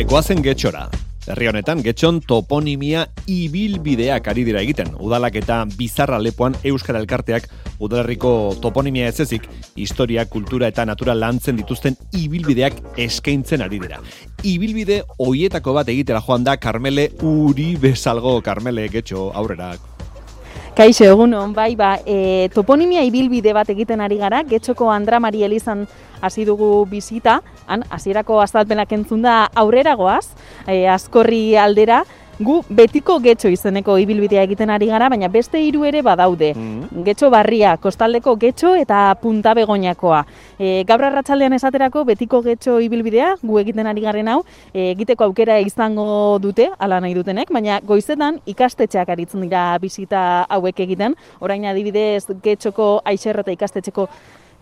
Goazen Getxora. Herri honetan, Getxon toponimia ibilbideak ari dira egiten. Udalak eta Bizarra Lepoan Euskara Elkarteak udalerriko toponimia ez ezik, historia, kultura eta natura lantzen dituzten ibilbideak eskaintzen ari dira. Ibilbide hoietako bat egitera joan da Karmele Uribe Salgo. Karmele, Getxo, aurrera. Kaixo, egunon, toponimia ibilbide bat egiten ari gara, Getxoko Andra Mari Elizan hasi dugu bizita, han hasierako azalpenak entzun da aurrera goaz, Azkorri aldera, gu betiko Getxo izeneko ibilbidea egiten ari gara, baina beste 3 ere badaude. Getxo Barria, Kostaldeko Getxo eta Punta Begoñakoa. Gaur arratsaldean esaterako betiko Getxo ibilbidea, gu egiten ari garen hau, egiteko aukera izango dute, hala nahi dutenek, baina goizetan ikastetxeak aritzen dira bisita hauek egiten. Orain adibidez Getxoko Aixerrota ikastetxeko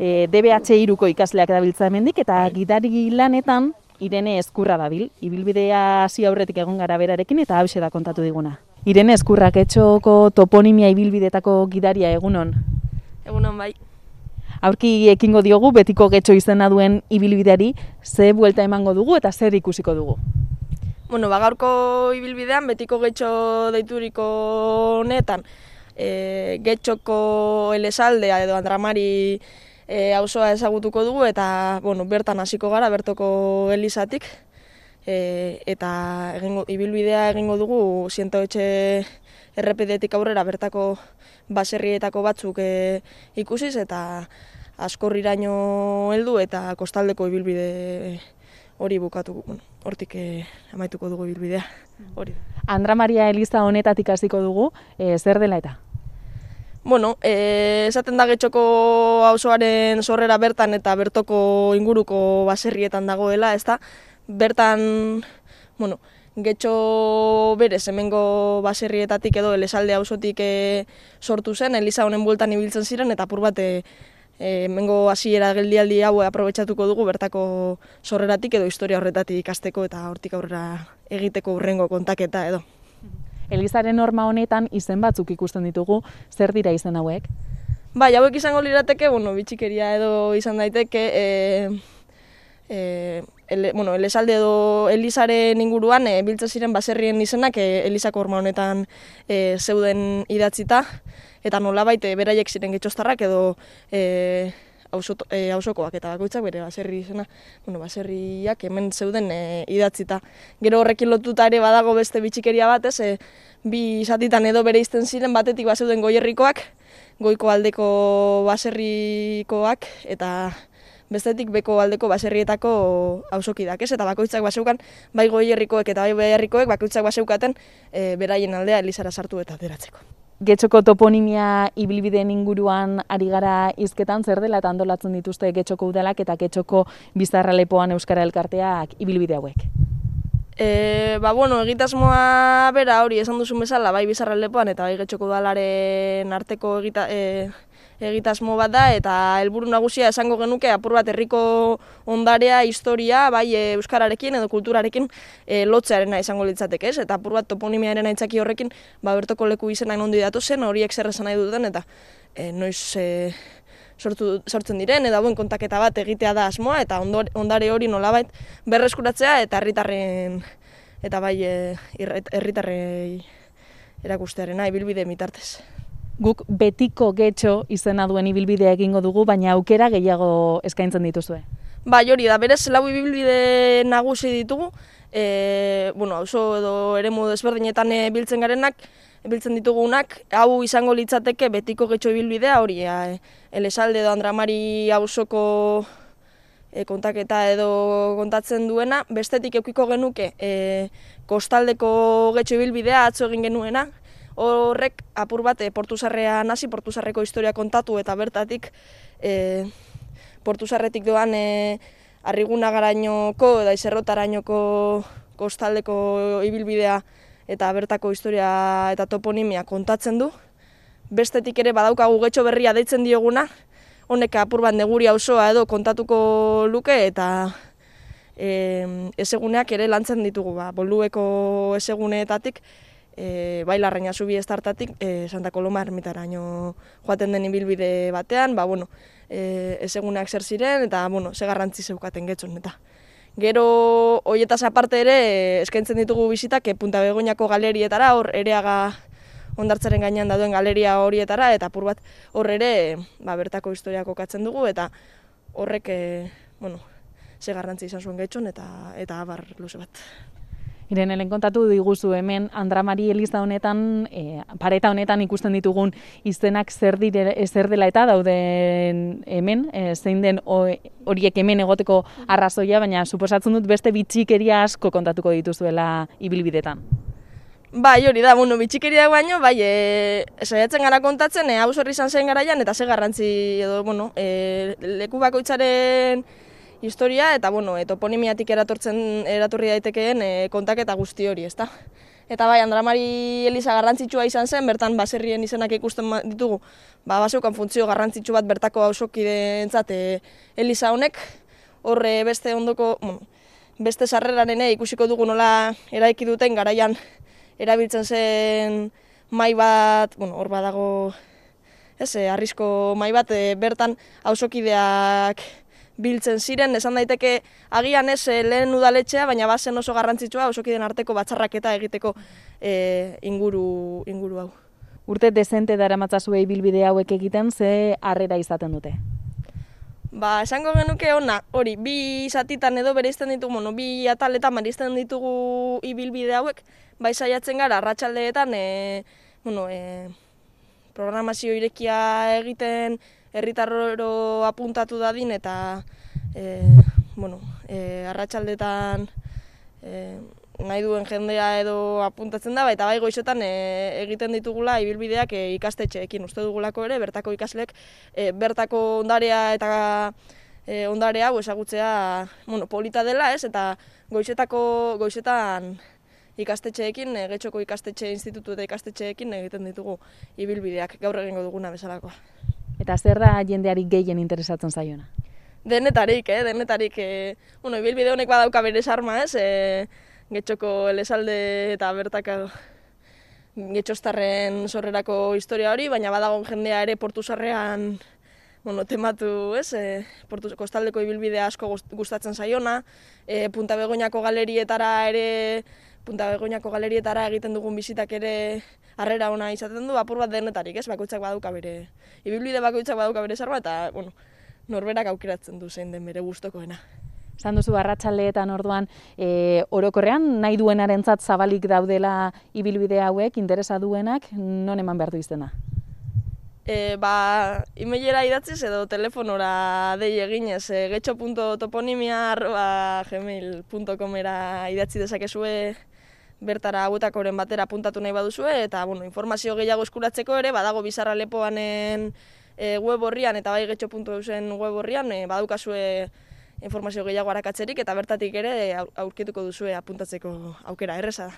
DBH 3ko ikasleak dabiltza hemendik, eta gidari lanetan Irene Ezkurra dabil, ibilbidea hasi aurretik egon gara berarekin eta hauxe da kontatu diguna. Irene Ezkurra, Getxoko toponimia ibilbidetako gidaria, egunon? Egunon bai. Aurki ekingo diogu betiko Getxo izena duen ibilbideari, ze buelta emango dugu eta zer ikusiko dugu? Gaurko ibilbidean betiko Getxo deituriko honetan, Getxoko Elesaldea edo Andramari auzoa ezagutuko dugu eta bertan hasiko gara bertoko elizatik eta ibilbidea egingo dugu Zientoetxe errepidetik aurrera bertako baserrietako batzuk ikusiz eta Azkorriraino heldu eta kostaldeko ibilbide hori bukatu, hortik amaituko dugu ibilbidea. Hori. Andra Maria Eliza honetatik hasiko dugu, zer dela eta? Esaten da Getxoko auzoaren sorrera bertan eta bertoko inguruko baserrietan dagoela, ezta? Bertan, Getxo berez hemengo baserrietatik edo Elesalde auzotik sortu zen, eliza honen bueltan ibiltzen ziren eta apur bat hemengo hasiera geldialdi hau aprobetxatuko dugu bertako sorreratik edo historia horretatik ikasteko eta hortik aurrera egiteko hurrengo kontaketa edo. Elizaren norma honetan izen batzuk ikusten ditugu, zer dira izen hauek? Hauek izango lirateke, bitxikeria edo izan daiteke, Elesalde edo Elizaren inguruan biltzen ziren baserrien izenak Elizako horma honetan zeuden idatzita, eta nolabait beraiek ziren getxostarrak edo auzokoak eta bakoitzak bere baserri izena, baserriak hemen zeuden idatzita. Gero horrekin lotuta ere badago beste bitxikeria bat, bi zatitan edo bereizten ziren, batetik bazeuden goierrikoak, goiko aldeko baserrikoak eta bestetik beko aldeko baserrietako auzokidak, eta bakoitzak baseukan bai goierrikoek eta bai beherrikoek bakoitzak baseukaten beraien aldea Elizara sartu eta ateratzeko. Getxoko toponimia ibilbideen inguruan ari gara hizketan, zer dela eta antolatzen dituzte Getxoko udalak eta Getxoko Bizarra Lepoan Euskara Elkarteak ibilbide hauek? Egitasmoa bera hori esan duzun bezala, bai Bizarra Lepoan eta bai Getxoko udalaren arteko egitasmo bat da, eta helburu nagusia esango genuke apur bat herriko ondarea, historia, bai euskararekin edo kulturarekin lotzearena izango litzateke, ez? Eta apur bat toponimiaren aitzaki horrekin bertoko leku izenak nondi datu zen, horiek zer esan nahi duten eta noiz sortzen diren, eta kontaketa bat egitea da asmoa, eta ondare hori nolabait berreskuratzea eta herritarren eta bai herritarrei erakustearena ibilbide mitartez. Guk betiko Getxo izena duen ibilbidea egingo dugu, baina aukera gehiago eskaintzen dituzue. Hori da, berez 4 ibilbide nagusi ditugu, auzo edo eremu desberdinetan biltzen ditugunak, hau izango litzateke betiko Getxo ibilbidea, hori Elesalde edo Andramari auzoko kontaketa edo kontatzen duena, bestetik edukiko genuke kostaldeko Getxo ibilbidea atzo egin genuena, horrek apur bat Portuzarrean hasi, Portuzarreko historia kontatu eta bertatik Portuzarretik doan Arrigunagarainoko eta Izerrotarainoko kostaldeko ibilbidea eta bertako historia eta toponimia kontatzen du. Bestetik ere badaukagu Getxo berria deitzen dioguna, honek apur bat neguri auzoa edo kontatuko luke eta ezeguneak ere lantzen ditugu, Bolueko ezeguneetatik bai Larraina Zubi estartatik Santa Koloma ermitaraino joaten den ibilbide batean, ezeguneak zer ziren eta ze garrantzi zeukaten Getxon eta Gero, hoietaz aparte ere, eskaintzen ditugu bizitak Punta Begoñako galerietara, hor Ereaga hondartzaren gainean dauden galeria horietara, eta apur bat hor ere bertako historia kokatzen dugu, eta horrek, ze garrantzi izan zuen Getxon, eta abar luze bat. Irene, lehen kontatu diguzu hemen Andra Mari eliza honetan, pareta honetan ikusten ditugun izenak zer dela eta dauden hemen, zein den horiek hemen egoteko arrazoia, baina suposatzen dut beste bitxikeria asko kontatuko dituzuela ibilbidetan. Bai, hori da, bitxikeriak baino, saiatzen gara kontatzen, hau zorri izan zen garaian, eta ze garrantzi edo, leku bakoitzaren historia, eta, toponimiatik eratorri daitekeen kontaketa guzti hori, ezta? Eta bai, Andra Mari eliza garrantzitsua izan zen, bertan baserrien izenak ikusten ditugu, baseukan funtzio garrantzitsu bat bertako hausokideentzat eliza honek, horre beste ondoko, beste sarreraren ikusiko dugu nola eraiki duten garaian erabiltzen zen mai bat, hor badago, arrisko mai bat, bertan hausokideak biltzen ziren, esan daiteke agian lehen udaletxea, baina bazen oso garrantzitsua hausokideen arteko batzarraketa egiteko inguru hau. Urte dezente daramatzazue ibilbide hauek egiten, ze harrera izaten dute? Esango genuke ona, hori, bi zatitan edo bereizten ditugu, bi ataletan bereizten ditugu ibilbide hauek, saiatzen gara arratsaldeetan, programazio irekia egiten, herritarroro apuntatu dadin, eta arratsaldetan nahi duen jendea edo apuntatzen da, eta goizetan egiten ditugula ibilbideak ikastetxeekin. Uste dugulako ere, bertako ikaslek, bertako ondarea eta ondare hau ezagutzea polita dela, eta goizetan ikastetxeekin, Getxoko ikastetxe institutu eta ikastetxeekin egiten ditugu ibilbideak, gaur egingo duguna bezalakoa. Eta zer da jendeari gehien interesatzen zaiona? Denetarik, ibilbide honek badauka bere sarma, Getxoko elezalde eta bertako Getxostarren sorrerako historia hori, baina badago jendea ere Portu Sarrean tematu, kostaldeko ibilbidea asko gustatzen zaiona, Punta Begoñako galerietara egiten dugun bizitak ere harrera ona izaten du, apur bat denetarik, bakoitzak badauka bere, ibilbide bakoitzak badauka bere sarma, eta norberak aukeratzen du zein den bere gustokoena. Esan duzu arratsaldeetan orduan, orokorrean nahi duenarentzat zabalik daudela ibilbide hauek, interesa duenak, non eman behar du izena? Emailera idatziz edo telefonora dei eginez, getxo.toponimia@gmail.comera idatzi dezakezue bertara hauetakoren batera apuntatu nahi baduzue, eta informazio gehiago eskuratzeko ere, badago Bizarra Lepoanen web horrian eta bai getxo.eusen web horrian, badaukazue informazio gehiago arakatzerik, eta bertatik ere aurkituko duzue apuntatzeko aukera, erreza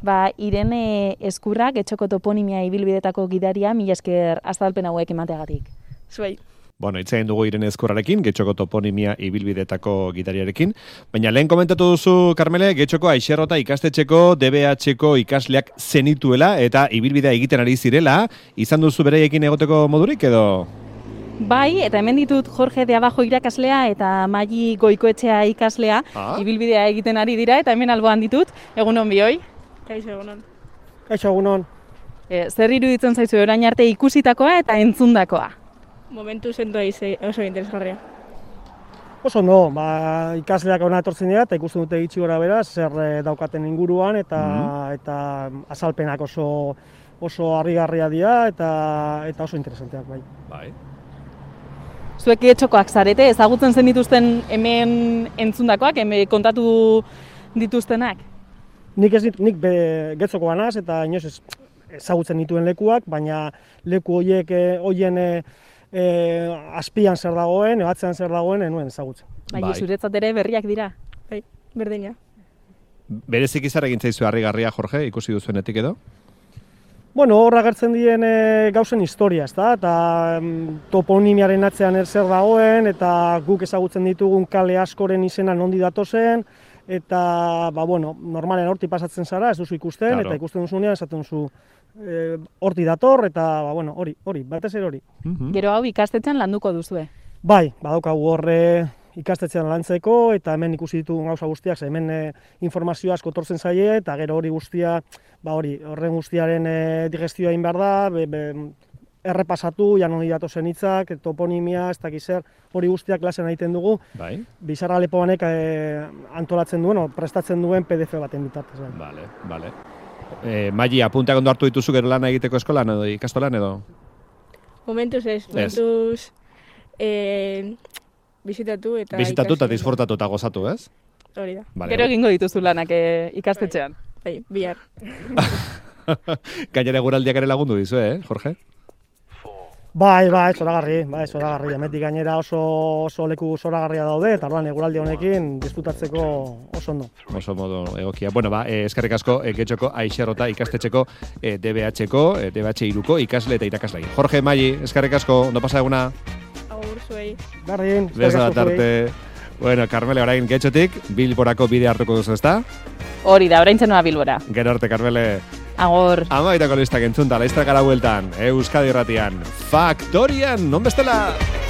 da. Irene Ezkurra, Getxoko toponimia ibilbidetako gidaria, mila esker azalpen hauek emateagatik. Zuei. Hitz egin dugu Irene Ezkurrarekin, Getxoko toponimia ibilbidetako gidariarekin. Baina lehen komentatu duzu, Karmele, Getxoko Aixerrota ikastetxeko DBH-ko ikasleak zenituela eta ibilbidea egiten ari zirela. Izan duzu beraiekin egoteko modurik edo? Bai, eta hemen ditut Jorge de Abajo irakaslea eta Maili Goikoetxea ikaslea ibilbidea egiten ari dira, eta hemen alboan ditut. Egunon bioi? Kaixo, egunon. Kaixo, egunon. Zer iruditzen zaizu orain arte ikusitakoa eta entzundakoa? Momentu sendoa oso interesgarria. Oso no, ikasleak hona etortzen dira eta ikusten dute gitxi gora bera, zer daukaten inguruan eta azalpenak oso harrigarria dira eta oso interesanteak bai. Zuek Getxokoak zarete, ezagutzen zen dituzten hemen entzundakoak, hemen kontatu dituztenak? Nik Getxokoa naz eta inoz ezagutzen dituen lekuak, baina leku horien azpian zer dagoen, ebatzean zer dagoen, enuen ezagutzen. Zuretzat ere berriak dira? Bai, berdina. Berezik izar egin zaizu harrigarria, Jorge, ikusi duzuenetik edo? Hor agertzen diren gauzen historia, eta toponimiaren atzean zer dagoen, eta guk ezagutzen ditugun kale askoren izena nondi datozen, eta normalen horti pasatzen zara, ez duzu ikusten, eta ikusten duzunean esaten duzu horti dator, eta hori, batez ere hori. Gero hau ikastetxean landuko duzue? Bai, badaukagu horre ikastetxean lantzeko, eta hemen ikusi ditugun gauza guztiak, ze hemen informazio asko tortzen zaie, eta gero hori guztia, horren guztiaren digestioa egin behar da, errepasatu, janon datozen hitzak, toponimia, ez dakiz zer, hori guztiak klasean egiten dugu. Bai. Bizarra Lepoanek antolatzen duen, prestatzen duen PDF baten bitartez. Bale. Maili, apunteak ondo hartu dituzu gero lana egiteko eskolan edo ikastolan edo? Momentuz ez, momentuz bizitatu eta bizitatu eta disfrutatu eta gozatu, ez? Hori da. Vale. Gero egingo dituzu lanak ikastetxean. Bai, bihar. Gainera eguraldiak ere lagundu dizu, Jorge? Bai, zoragarri, hemetik gainera oso leku zoragarria daude, eta orduan eguraldi honekin disfrutatzeko oso ondo. Oso modu egokia. Bueno, eskerrik asko Getxoko Aixerrota ikastetxeko DBH-ko, DBH iruko ikasle eta irakaslei. Jorge, Maili, eskerrik asko, ondo pasa eguna? Agur zuei. Berdin, eskerrik asko zuei. Bueno, Carmele, orain Getxotik, Bilborako bidea hartuko duzu, ezta? Hori da, orain zenua Bilbora. Gero arte, Carmele. Agor. Amaitako listak entzunta, laiztrak gara bueltan, Euskadi Irratian, Faktorian, non bestela!